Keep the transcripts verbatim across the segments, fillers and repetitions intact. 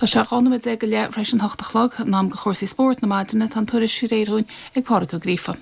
Tá sé dhá nóiméad déag go leith tar éis an hocht a chlog in am do chúrsaí spóirt na maidine tá an tuairisc réidh ag Pádraig Ó Gríofa.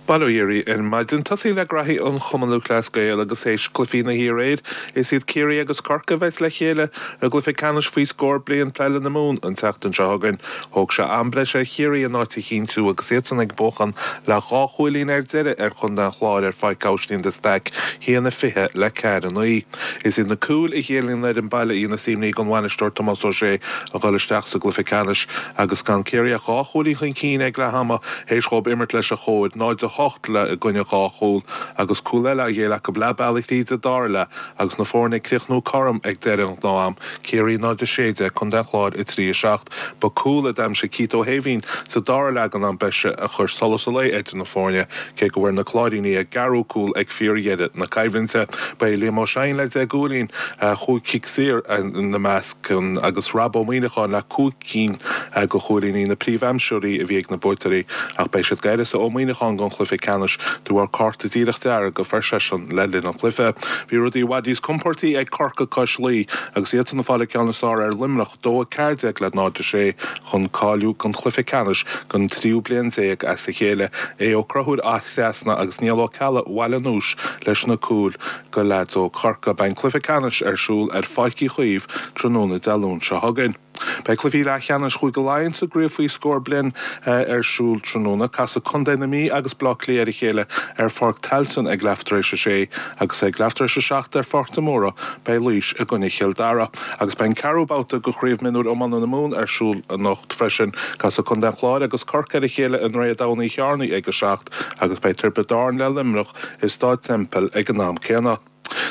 Bail ó Dhia oraibh ar maidin tosaí le graithí an Chumann Lúthchleas Gael agus théis cluichí na hiaréir is iad Ciarraí agus Corcaigh a bheas le chéile i gcluiche ceannais faoi scór bliain peile na Mumhan an tseachtain seo chugainn. Thóg sé am breise ar Chiarraí a n-áit a chinntiú agus iadsan ag buachan le dhá chúilín ar deireadh ar Chontae an Chláir ar Pháirc Aibhistín de Staic haon a fiche le ceathair a naoi. Is iad na cúil a ghéilleann ar an baile í na simní don bhainisteoir Tomás Ó Sé a dhul isteach sa gcluiche ceannais agus gan Ciarraí ach dhá chúilín chun cinn ag leath ama théis dóibh imirt leis a chóir náid a hocht le i gcoinne dhá chúl agus cúl eile a ghéill acu leath bealaigh tríd an dara leath agus na foirne ag críochnú cothrom ag deireadh an ghnáth-am Ciarraí náid a sé déag Contae an Chláir a trí a seacht ba cúl a d'aimsigh Keith Ó hÉimhín sa dara leath den am breise a chuir solas an lae idir na foirne cé go bhfuair na Cláirínigh a gceathrú cúl ag fíordheireadh na coimhlinte Ba é Liam Ó Seaghain le deich gcúilín chúig chic saor ina measc agus Rob Ó Muíneacháin le cúig cinn de chúilíní na príomhaimseoirí a bhí ag na buaiteoirí ach beidh siad d'áineasa Ó Muíneacháin don chluiche ceannais de bharr cárta díreach dearg a fuair seisean le linn an chluiche. Bhí rudaí i bhfad níos compórdaí ag Corcaigh cois Laoi agus iad san ag fáil an ceann is fearr ar Luimneach dó a ceathair déag le náid a sé chun cáiliú don chluiche ceannais don tríú bliain déag as a chéile é Ó Conchúir Áth Trasna agus Niall Ó Ceallaigh Bhaile an Úis leis na cúil do leaids ó Chorcaigh beidh an cluiche ceannais ar siúl ar Pháirc Uí Chaoimh tráthnóna Dé Luain seo chugainn. Beidh cluichí leathcheannais Chúige Laighean sa gcraobh faoi scór bliain ar siúl tráthnóna casfaidh Contae na Mí agus Bleá Cliath ar a chéile ar Pháirc Tailteann ag leath tar éis a sé agus ag leath tar éis a seacht ar Pháirc de Mórdha beidh Laois i gcoinne Chill Dara. agus beidh an ceathrú babhta de chraobh mionúir iomána na Mumhan ar siúl anocht freisin casfaidh Contae an Chláir agus Corcaigh ar a chéile i nDroichead Abhann Uí Chearnaigh ag a seacht agus beidh Tiobraid Árann le Luimneach i Staid Semple ag an am céanna.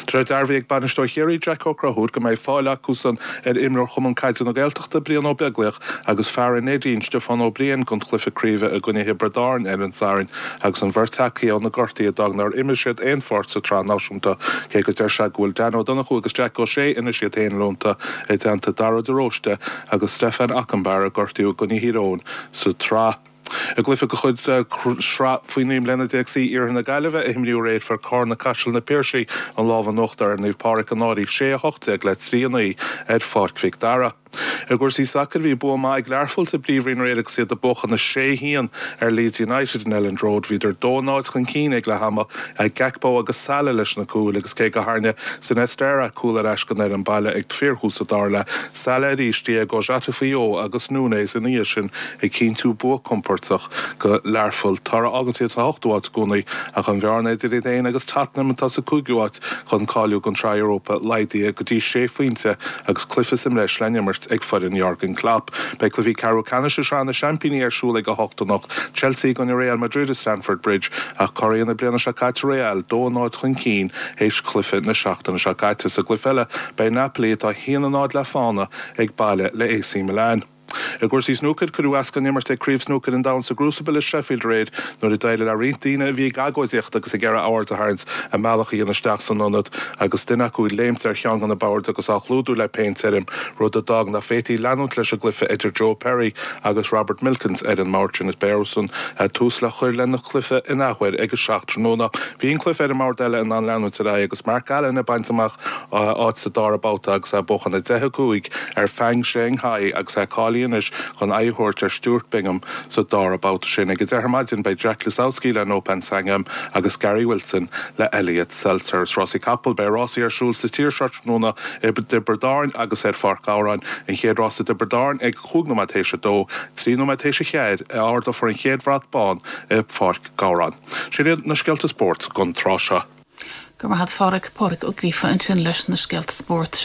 Tá dearbhaithe ag bainisteoir Chiarraí Jack Ó Conchúir go mbeidh fáil acusan ar imreoir Chumann Caide na Gaeltachta Brian Ó Beaglaoich agus fear an Neidín Stiofán Ó Briain don chluiche craoibhe i gcoinne Thiobraid Árann ar an Satharn agus an bheirt acu ó na gortuithe a d'fhág nár imir siad aon pháirt sa tsraith náisiúnta cé go deir sé go bhfuil Dan Ó Donnchú agus Jack Ó Sé anois iad féin leonta i dteannta Dara de Róiste agus Stefan Ockenbar a gortaíodh i gcoinne Thír Eoghain sa tsraith. I gcluiche de chuid sraith faoi naoi mbliana déag C Iarthar na Gaillimhe a imríodh aréir fuair Carna Caiseal na Piarsaigh an lámh in uachtar ar Naomh Pádraig an Fhairche sé a hocht déag le trí a naoi ar Pháirc Mhic Dara. I gcúrsaí sacair bhí bua maith ag Learpholl sa bPríomhroinn aréir agus iad ag buachan a sé haon ar Leeds United in Elland Road bhíodar dó náid chun cinn ag leath ama ag Gakpo agus Salah leis na cúil agus cé go ndearna Sinisterra cúl ar ais don fhoireann baile ag fíorthús an dara leath Salah arís Diego Jota faoi dhó agus Núñez ina dhiaidh sin ag cinntiú bua compordach do Learpholl Tá agus iad sa hochtú háit i gcónaí ach an bhearna idir iad féin agus Tottenham atá sa cúigiú háit chun cáiliú don tsraith Europa laghdaithe go dtí sé phointe agus cluiche sa mbreis le n-imirt ag foireann Jurgen Klopp. Beidh cluichí ceathrú ceannais Shraith na Seaimpíní ar siúl ag a hocht anocht Chelsea gcoinne Real Madrid i Stamford Bridge ach curaidh na bliana seo caite Real dó náid chun cinn théis cluiche na seachtaine seo caite sa gcluiche eile beidh Napoli atá haon a náid le fána ag baile le AC Milan. I gcúrsaí snúcair cuireadh as don imirt ag Craobh Snúcair an Domhain sa gCrucible i Sheffield aréir nuair a d'éirigh le roinnt daoine a bhí ag agóidíocht agus ag iarraidh aird a tharraingt a mbealach a dhéanamh isteach san ionad agus duine acu léimt ar cheann de na boird agus á chlúdú le péint tirim rud a d'fhág nach bhféadfaí leanúint leis an gcluiche idir Joe Perry agus Robert Milkins ar an mbord sin is beidh tús le cur lena chluiche in athuair ag a seacht tráthnóna. Bhí an cluiche ar an mbord eile in ann leanúint ar aghaidh agus Mark Allen ag baint amach áit sa dara babhta agus é ag buachan deich a cúig ar Fang Shanghai agus é cáilithe anois chun aghaidh a thabhairt ar Stuart Bingham sa dara babhta sin ag a deich ar maidin beidh Jack Lisowski le Noppon Saengkham agus Gary Wilson le Elliot Seltzer rásaí capall beidh rásaí ar siúl sa tír seo tráthnóna i dTiobraid Árann agus ar Pháirc Ghabhráin an chéad rás i dTiobraid Árann ag cúig nóiméad théis a dó trí nóiméad théis a ceathair a ardófar an chéad bhrat bán i Pháirc Ghabhráin. Sin iad na scéalta spóirt don tráth seo. Go maith Phádraig Pádraig Ó Gríofa ansin leis na scéalta spóirt.